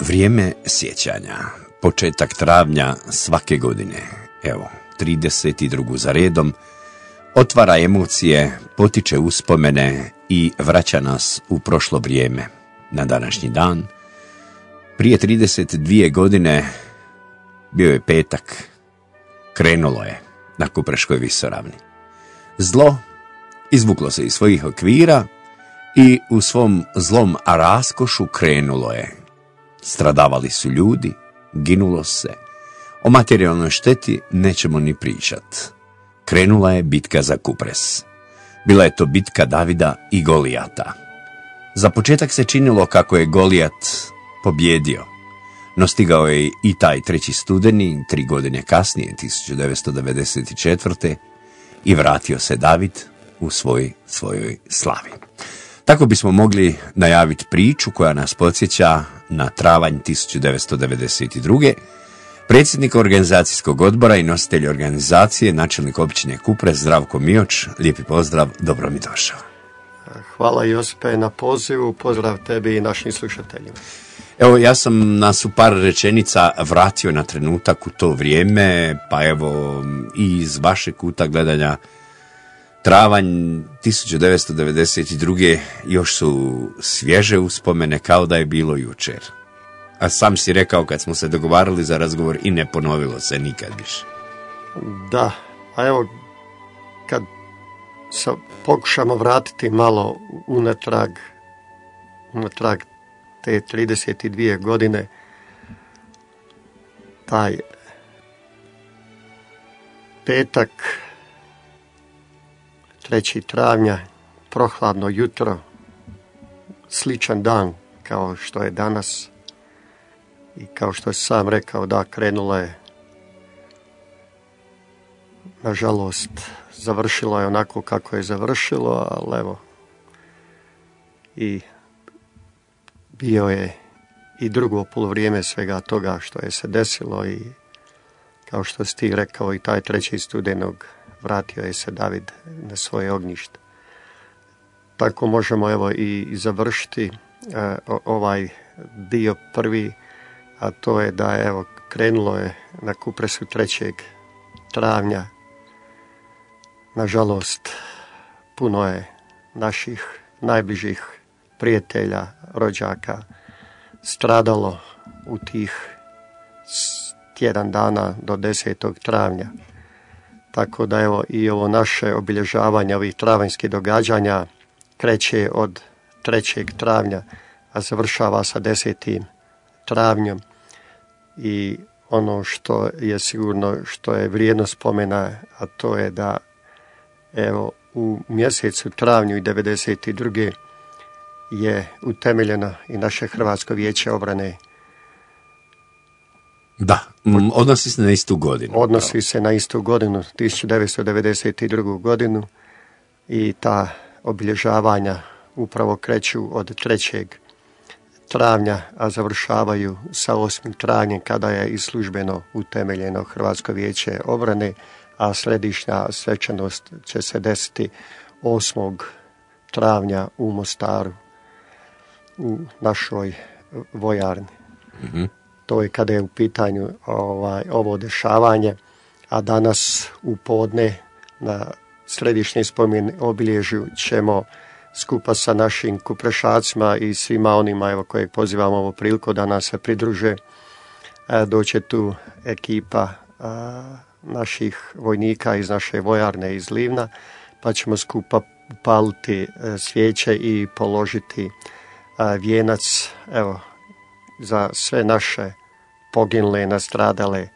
Vrijeme sjećanja, početak travnja svake godine, evo, 32. za redom, otvara emocije, potiče uspomene i vraća nas u prošlo vrijeme. Na današnji dan, prije 32 godine, bio je petak, krenulo je na Kupreškoj visoravni. Zlo izvuklo se iz svojih okvira i u svom zlom raskošu krenulo je. Stradavali su ljudi, ginulo se. O materijalnoj šteti nećemo ni pričat. Krenula je bitka za Kupres. Bila je to bitka Davida i Golijata. Za početak se činilo kako je Golijat pobjedio, no stigao je i taj 3. studeni, 3 godine kasnije, 1994. i vratio se David u svojoj slavi. Tako bismo mogli najaviti priču koja nas podsjeća na travanj 1992. Predsjednik organizacijskog odbora i nositelj organizacije, načelnik općine Kupres, Zdravko Mioč. Lijepi pozdrav, dobro mi došao. Hvala Josipe na pozivu, pozdrav tebi i našim slušateljima. Evo, ja sam nas u par rečenica vratio na trenutak u to vrijeme, pa evo i iz vašeg kuta gledanja travanj 1992. još su svježe uspomene kao da je bilo jučer. A sam si rekao kad smo se dogovarali za razgovor i ne ponovilo se nikad više. Da, a evo kad se pokušamo vratiti malo unatrag te 32 godine, taj petak 3. travnja, prohladno jutro, sličan dan kao što je danas i kao što je sam rekao, da, krenulo je, nažalost, završilo je onako kako je završilo, ali evo, i bio je i drugo poluvrijeme svega toga što je se desilo i kao što si ti rekao, i taj 3. studenog vratio je se David na svoje ognjište. Tako možemo evo i završiti ovaj dio prvi, a to je da evo krenulo je na Kupresu 3. travnja. Nažalost, puno je naših najbližih prijatelja, rođaka stradalo u tih tjedan dana do 10. travnja. Tako da evo i ovo naše obilježavanje ovih travanjskih događanja kreće od 3. travnja, a završava sa 10. travnjom. I ono što je sigurno, što je vrijedno spomena, a to je da evo u mjesecu travnju i 92. je utemeljeno i naše Hrvatsko vijeće obrane. Da, odnosi se na istu godinu. Odnosi se na istu godinu, 1992. godinu, i ta obilježavanja upravo kreću od 3. travnja, a završavaju sa 8. travnjem kada je i službeno utemeljeno Hrvatsko vijeće obrane, a središnja svečanost će se desiti 8. travnja u Mostaru, u našoj vojarni. Mm-hmm. To je kada je u pitanju ovo dešavanje, a danas u podne na središnjem spomen obilježju ćemo skupa sa našim kuprešacima i svima onima evo koje pozivamo ovu priliku da nas se pridruže. Doće tu ekipa naših vojnika iz naše vojarne iz Livna, pa ćemo skupa paliti svijeće i položiti vijenac evo za sve naše poginule, nastradale.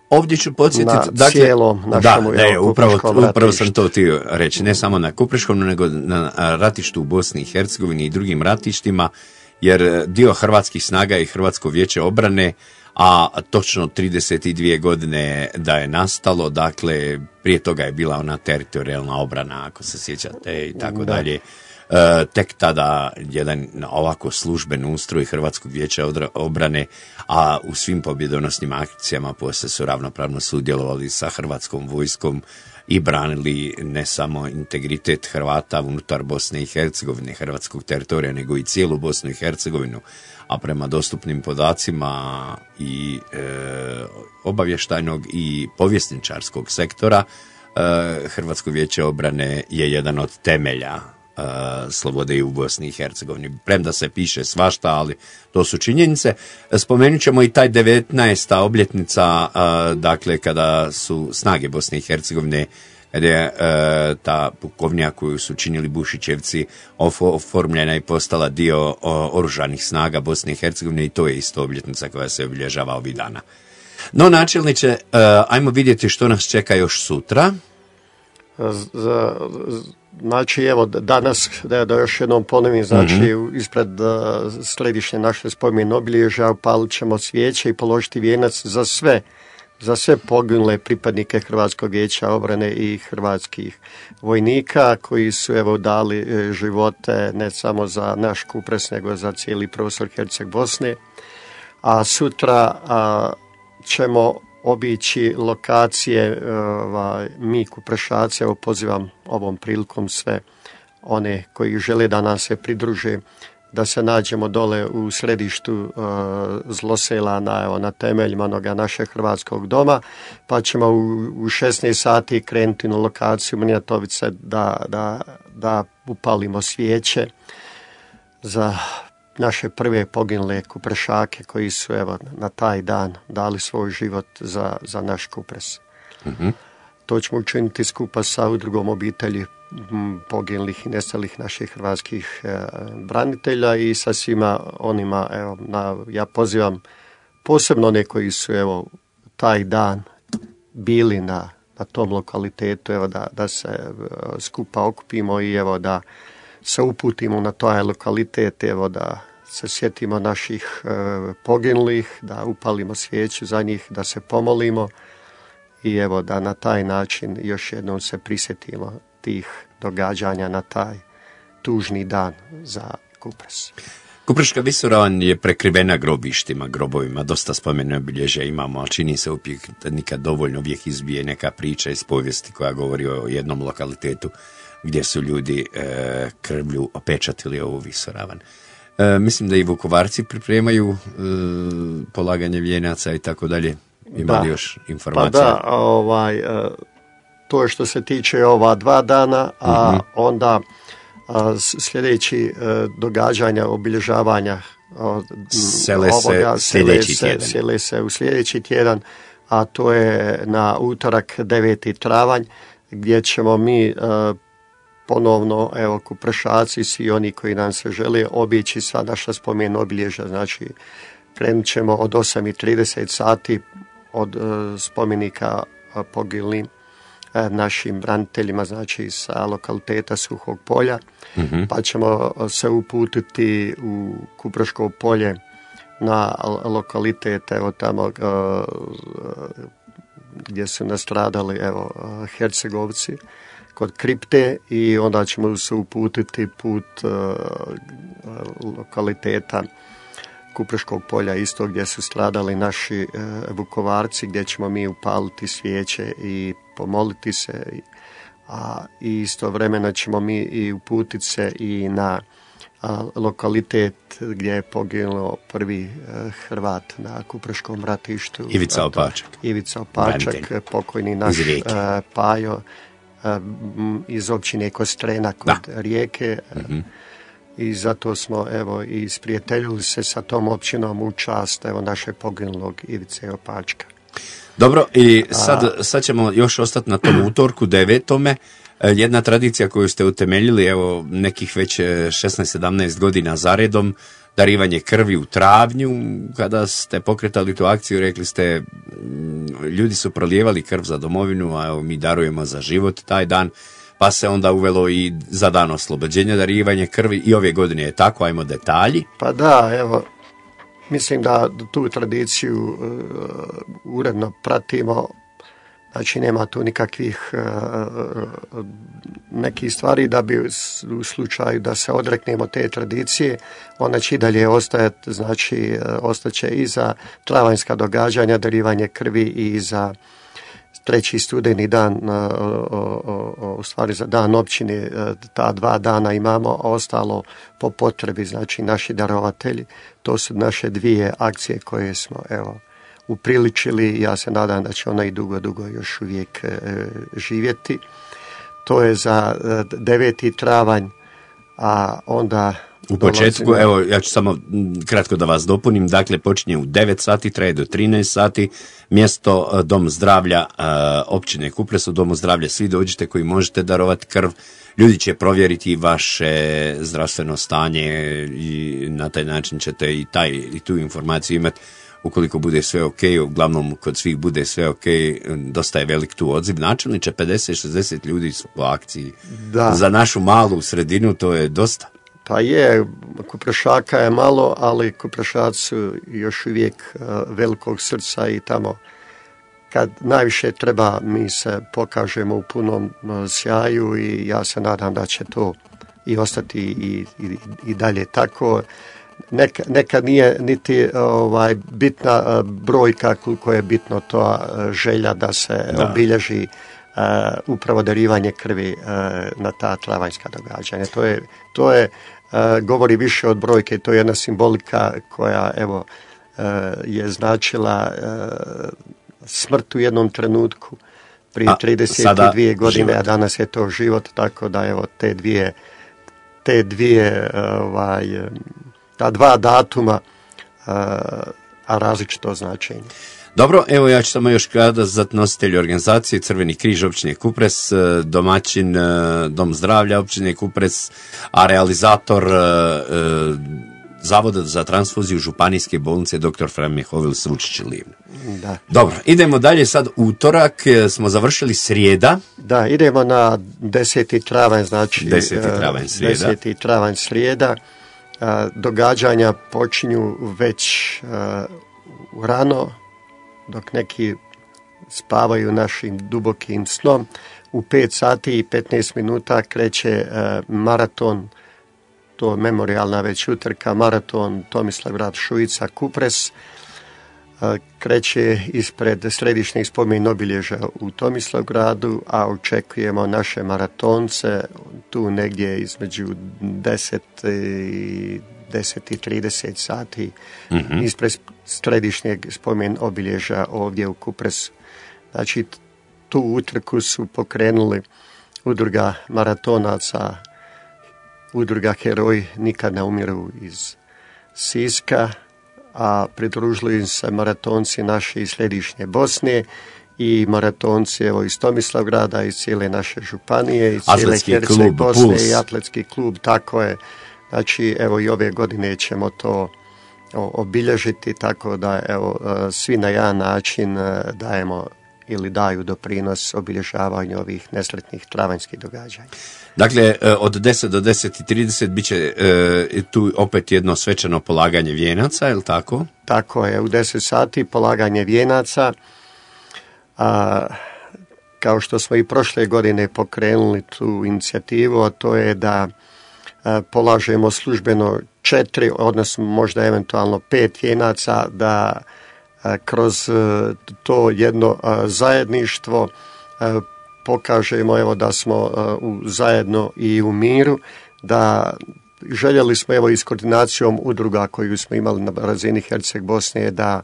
Ovdje ću podsjetiti, na cijelom našemu upravo sam to htio reći, ne samo na Kupreškom, nego na ratištu u Bosni i Hercegovini i drugim ratištima, jer dio hrvatskih snaga i Hrvatsko vijeće obrane, a točno 32 godine da je nastalo, dakle prije toga je bila ona teritorijalna obrana, ako se sjećate, i tako dalje. Tek tada jedan ovako služben ustroj Hrvatskog vijeća obrane, a u svim pobjedonosnim akcijama poslije su ravnopravno sudjelovali sa Hrvatskom vojskom i branili ne samo integritet Hrvata unutar Bosne i Hercegovine, hrvatskog teritorija, nego i cijelu Bosnu i Hercegovinu, a prema dostupnim podacima i obavještajnog i povjesničarskog sektora, Hrvatsko vijeće obrane je jedan od temelja slobode i u Bosni i Hercegovini. Premda se piše svašta, ali to su činjenice. Spomenut ćemo i taj 19. obljetnica, dakle kada su snage Bosne i Hercegovine, kada je ta pukovnija koju su činili Bušićevci oformljena i postala dio oružanih snaga Bosne i Hercegovine, i to je isto obljetnica koja se obilježava ovih dana. No, načelniče, ajmo vidjeti što nas čeka još sutra. Znači, evo, danas, da još jednom ponovim, znači, ispred središnje naše spomen obilježja upalit ćemo svijeće i položiti vijenac za sve poginule pripadnike Hrvatskog vijeća obrane i hrvatskih vojnika koji su, evo, dali živote ne samo za naš Kupres, nego za cijeli prostor Herceg Bosne. A sutra ćemo obići lokacije, mi Kuprešaci, evo pozivam ovom prilikom sve one koji žele da nam se pridruže, da se nađemo dole u središtu Zlosela na temeljima onoga našeg hrvatskog doma, pa ćemo u 16 sati krenuti na lokaciju Mrnjatovice da upalimo svijeće za naše prve poginule Kuprešake koji su, evo, na taj dan dali svoj život za naš Kupres. To ćemo učiniti skupa sa udrugom obitelji poginulih i nestalih naših hrvatskih branitelja i sa svima onima, evo, ja pozivam posebno one koji su, evo, taj dan bili na tom lokalitetu, evo, da se skupa okupimo i, evo, da se uputimo na taj lokalitet, evo, da se sjetimo naših poginulih, da upalimo svijeću za njih, da se pomolimo i, evo, da na taj način još jednom se prisjetimo tih događanja na taj tužni dan za Kupres. Kupreška visoravan je prekrivena grobištima, grobovima, dosta spomene obilježja imamo, ali čini se uvijek nikad dovoljno, uvijek izbije neka priča iz povijesti koja govori o jednom lokalitetu gdje su ljudi krvlju opečatili ovu visoravan. Mislim da i Vukovarci pripremaju polaganje vijenaca i tako dalje. Ima li još informacija? Pa da, to je što se tiče ova 2 dana, a onda sljedeći događanja, obilježavanja sele se u sljedeći tjedan, a to je na utorak 9. travanj, gdje ćemo mi ponovno, evo, Kuprešaci, svi oni koji nam se žele, obići sva naša spomen obilježja. Znači, krenut ćemo od 8:30 sati od spomenika poginulim našim braniteljima, znači sa lokaliteta Suhog polja, pa ćemo se uputiti u Kupreško polje na lokalitet, evo, tamo gdje su nastradali, evo, Hercegovci, kod kripte, i onda ćemo se uputiti put lokaliteta Kupreškog polja, isto gdje su stradali naši Vukovarci, gdje ćemo mi upaliti svijeće i pomoliti se, a istovremeno ćemo mi i uputiti se i na lokalitet gdje je poginuo prvi Hrvat na Kupreškom ratištu. Ivica Opačak, pokojni naš Pajo, iz općine Kostrena kod Rijeke. I zato smo, evo, i isprijateljili se sa tom općinom u čast, evo, naše poginulog Ivice Opačka. Dobro, i sad ćemo još ostati na tom utorku 9. Jedna tradicija koju ste utemeljili, evo, nekih već 16-17 godina zaredom, darivanje krvi u travnju. Kada ste pokretali tu akciju, rekli ste, ljudi su prolijevali krv za domovinu, a evo, mi darujemo za život taj dan, pa se onda uvelo i za dan oslobođenja darivanje krvi, i ove godine je tako. Ajmo detalji. Pa da, evo, mislim da tu tradiciju uredno pratimo Znači nema tu nikakvih nekih stvari da bi u slučaju da se odreknemo te tradicije, ona će i dalje ostajati, znači ostaće i za travanjska događanja, darivanje krvi i za 3. studeni dan, u stvari za dan općine, ta 2 dana imamo, a ostalo po potrebi, znači naši darovatelji. To su naše 2 akcije koje smo, evo, upriličili. Ja se nadam da će ona i dugo još uvijek živjeti. To je za 9. travanj, a onda... U početku, evo, ja ću samo kratko da vas dopunim, dakle počinje u 9 sati, traje do 13 sati, mjesto Dom zdravlja općine Kupres. U Domu zdravlja svi dođete koji možete darovati krv, ljudi će provjeriti vaše zdravstveno stanje i na taj način ćete i tu informaciju imati. Ukoliko bude sve ok, uglavnom kod svih bude sve ok, dosta je velik tu odziv. Načelniče, 50-60 ljudi su po akciji. Da. Za našu malu sredinu to je dosta. Pa je, Kuprešaka je malo, ali Kuprešaci su još uvijek velikog srca i tamo kad najviše treba mi se pokažemo u punom sjaju i ja se nadam da će to i ostati i dalje tako. Nekad nije niti bitna brojka koliko je bitno to želja da se obilježi upravo darivanje krvi na ta travanjska događanja. To je govori više od brojke, to je jedna simbolika koja evo je značila smrt u jednom trenutku prije 32 godine, život. A danas je to život, tako da evo ta 2 datuma, a različito značenje. Dobro, evo ja ću samo još kada za nositelji organizacije Crveni križ općine Kupres, domaćin Dom zdravlja općine Kupres, a realizator Zavoda za transfuziju Županijske bolnice dr. Fran Mihovil Sručić Livno. Da. Dobro, idemo dalje sad. Utorak smo završili, srijeda. Da, idemo na 10. travanj, znači 10. travanj srijeda. Događanja počinju već rano, dok neki spavaju našim dubokim snom. U 5 sati i 15 minuta kreće maraton, to je memorijalna već utrka, maraton Tomislavgrad Šuica Kupres. Kreće ispred središnjeg spomen obilježja u Tomislavgradu, a očekujemo naše maratonce tu negdje između 10 i 10:30 sati ispred središnjeg spomen obilježja ovdje u Kupresu. Znači, tu utrku su pokrenuli udruga maratonaca, udruga Heroji nikad ne umiru iz Siska, a pridružili im se maratonci naše iz središnje Bosne i maratonci evo iz Tomislavgrada, iz cijele naše županije, iz cijele Herceg Bosne Puls. I atletski klub, tako je. Znači, evo i ove godine ćemo to obilježiti, tako da evo svi na jedan način dajemo ili daju doprinos obilježavanju ovih nesretnih travanjskih događanja. Dakle, od 10 do 10:30 bit će tu opet jedno svečano polaganje vijenaca, je li tako? Tako je, u 10 sati polaganje vijenaca. Kao što smo i prošle godine pokrenuli tu inicijativu, a to je da polažemo službeno 4, odnosno možda eventualno 5 vijenaca, da kroz to jedno zajedništvo pokažemo evo da smo zajedno i u miru, da željeli smo evo i s koordinacijom udruga koju smo imali na razini Herceg Bosne da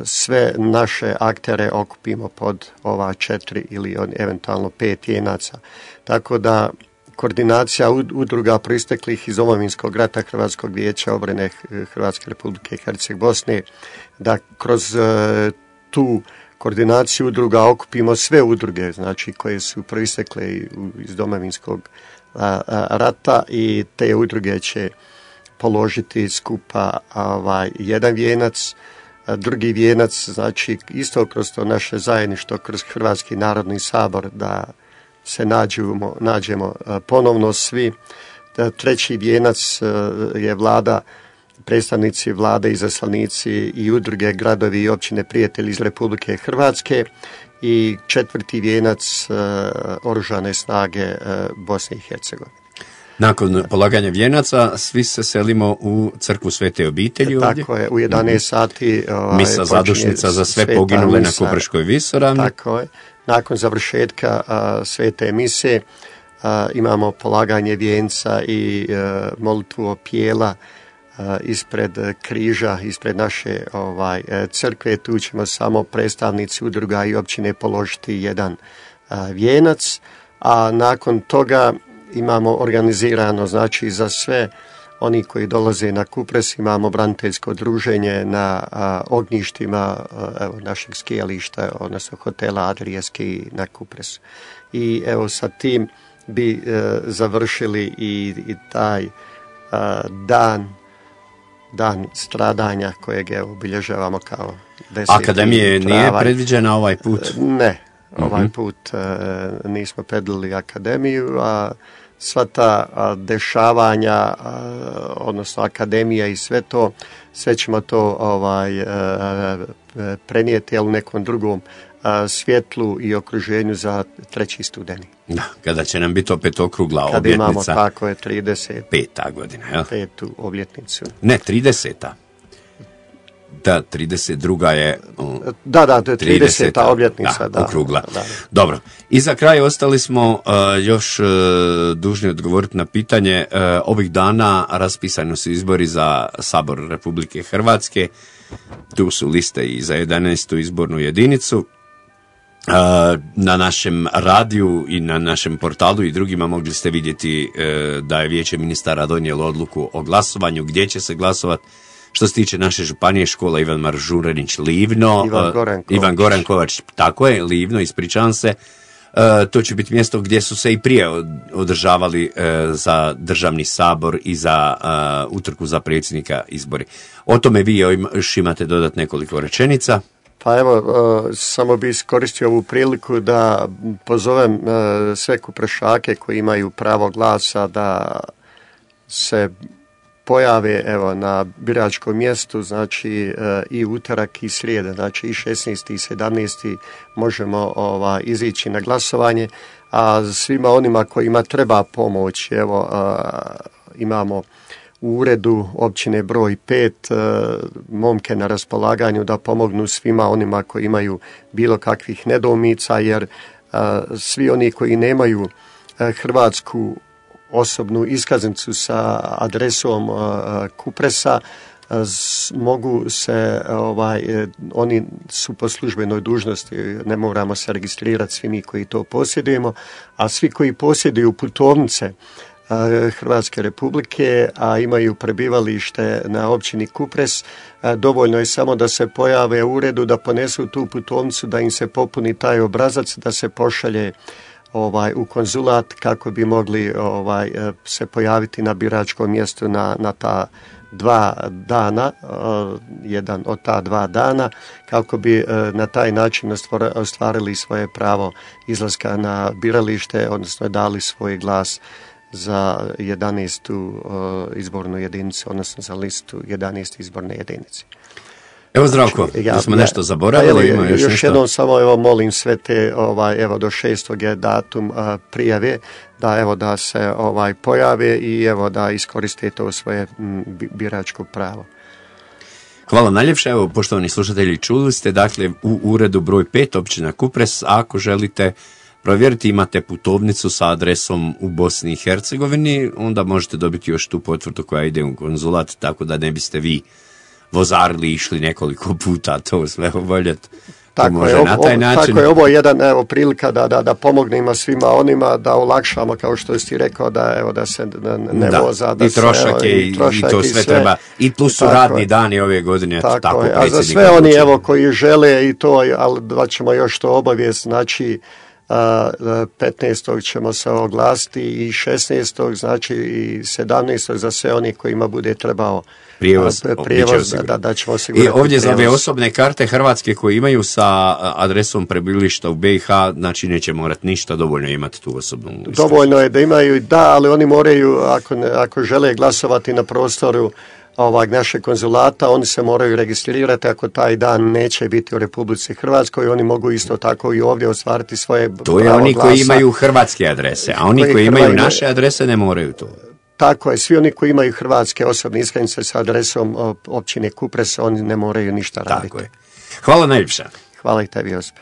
sve naše aktere okupimo pod ova 4 ili eventualno 5 vijenaca. Tako da koordinacija udruga proisteklih iz Domovinskog rata Hrvatskog vijeća obrane Hrvatske Republike Herceg Bosne, da kroz tu koordinaciju udruga okupimo sve udruge, znači koje su proistekle iz Domovinskog rata, i te udruge će položiti skupa jedan vijenac. Drugi vijenac, znači isto kroz to naše zajedništvo, kroz Hrvatski narodni sabor, da se nađemo ponovno svi. Treći vijenac je vlada predstavnici vlade, izaslanici i udruge, gradovi i općine prijatelji iz Republike Hrvatske i 4. vijenac Oružane snage Bosne i Hercegovine. Nakon polaganja vijenaca svi se selimo u crkvu Svete obitelji ovdje. Tako je, u 11 sati misa zadušnica za sve poginule na Kupreškoj visoravni. Tako je. Nakon završetka svete mise imamo polaganje vijenca i molitvu opijela ispred križa, ispred naše crkve. Tu ćemo samo predstavnici udruga i općine položiti jedan vijenac, a nakon toga imamo organizirano, znači za sve oni koji dolaze na Kupres, imamo braniteljsko druženje na ognjištima našeg skijališta, odnosno hotela Adrijanski na Kupresu. I evo sa tim bi završili i taj dan stradanja kojeg obilježavamo kao 10. Akademije nije predviđena ovaj put? Ne, ovaj put nismo predvidjeli akademiju, a sva ta dešavanja, odnosno akademija i sve ćemo to prenijeti u nekom drugom svjetlu i okruženju za 3. studeni. Da, kada će nam biti opet okrugla kada obljetnica. Imamo, tako je, 35. godina, jel? 5. obljetnicu. Ne, 30. Da, 32. je... Da, 30. obljetnica. Da, okrugla. Da. Dobro. I za kraj ostali smo još dužni odgovoriti na pitanje. Ovih dana raspisani su izbori za Sabor Republike Hrvatske. Tu su liste i za 11. izbornu jedinicu. Na našem radiju i na našem portalu i drugima mogli ste vidjeti da je Vijeće ministara donijelo odluku o glasovanju, gdje će se glasovati. Što se tiče naše županije, škola Ivan Maržuranić Livno, Ivan Goran Kovač, tako je, Livno, ispričavam se. To će biti mjesto gdje su se i prije održavali za državni sabor i za utrku za predsjednika izbori. O tome vi još imate dodat nekoliko rečenica. Pa evo, samo bi iskoristio ovu priliku da pozovem sve Kuprešake koji imaju pravo glasa da se pojave na biračkom mjestu, znači i utorak i srijeda, znači i 16. i 17. možemo izići na glasovanje, a svima onima kojima treba pomoć, imamo u uredu općine broj 5 momke na raspolaganju da pomognu svima onima koji imaju bilo kakvih nedoumica, jer svi oni koji nemaju hrvatsku osobnu iskaznicu sa adresom Kupresa mogu se, oni su po službenoj dužnosti, ne moramo se registrirati svi mi koji to posjedujemo, a svi koji posjeduju putovnice Hrvatske republike, a imaju prebivalište na općini Kupres, dovoljno je samo da se pojave u uredu, da ponesu tu putovnicu, da im se popuni taj obrazac, da se pošalje u konzulat kako bi mogli se pojaviti na biračkom mjestu na ta 2 dana, jedan od ta 2 dana, kako bi na taj način ostvarili svoje pravo izlaska na biralište, odnosno dali svoj glas za 11. izbornu jedinicu, odnosno za listu 11. izborne jedinice. Evo Zdravko, da smo nešto zaboravili, ima još nešto? Jednom samo molim sve te, do 6. je datum prijave, da se pojave i da iskoriste to svoje biračko pravo. Hvala najljepše. Evo, poštovani slušatelji, čuli ste, dakle, u uredu broj 5 općina Kupres, ako želite provjeriti, imate putovnicu sa adresom u Bosni i Hercegovini, onda možete dobiti još tu potvrdu koja ide u konzulat, tako da ne biste vi vozarili i išli nekoliko puta to sve oboljeti. Tako je, ovo je jedan prilika da pomognemo svima onima, da olakšamo, kao što si rekao, da se ne voza. I trošak je i to sve treba. I plus su radni dani ove godine. Tako je, a za sve oni koji žele i to, ali da ćemo još to obavijest, znači 15. ćemo se oglasiti i 16. znači i 17. za sve oni kojima bude trebao prijevoz da ćemo osigurati. I ovdje za ove osobne karte Hrvatske koje imaju sa adresom prebivališta u BiH, znači neće morati ništa, dovoljno imati tu osobnu iskaznicu. Dovoljno je da imaju, ali oni moraju, ako žele glasovati na prostoru našeg konzulata, oni se moraju registrirati ako taj dan neće biti u Republici Hrvatskoj, oni mogu isto tako i ovdje ostvariti svoje pravo glasa. To je oni koji imaju hrvatske adrese, a oni koji imaju naše adrese ne moraju to. Tako je, svi oni koji imaju hrvatske osobne iskaznice sa adresom općine Kupres, oni ne moraju ništa raditi. Tako je. Hvala najljepša. Hvala i tebi, Josip.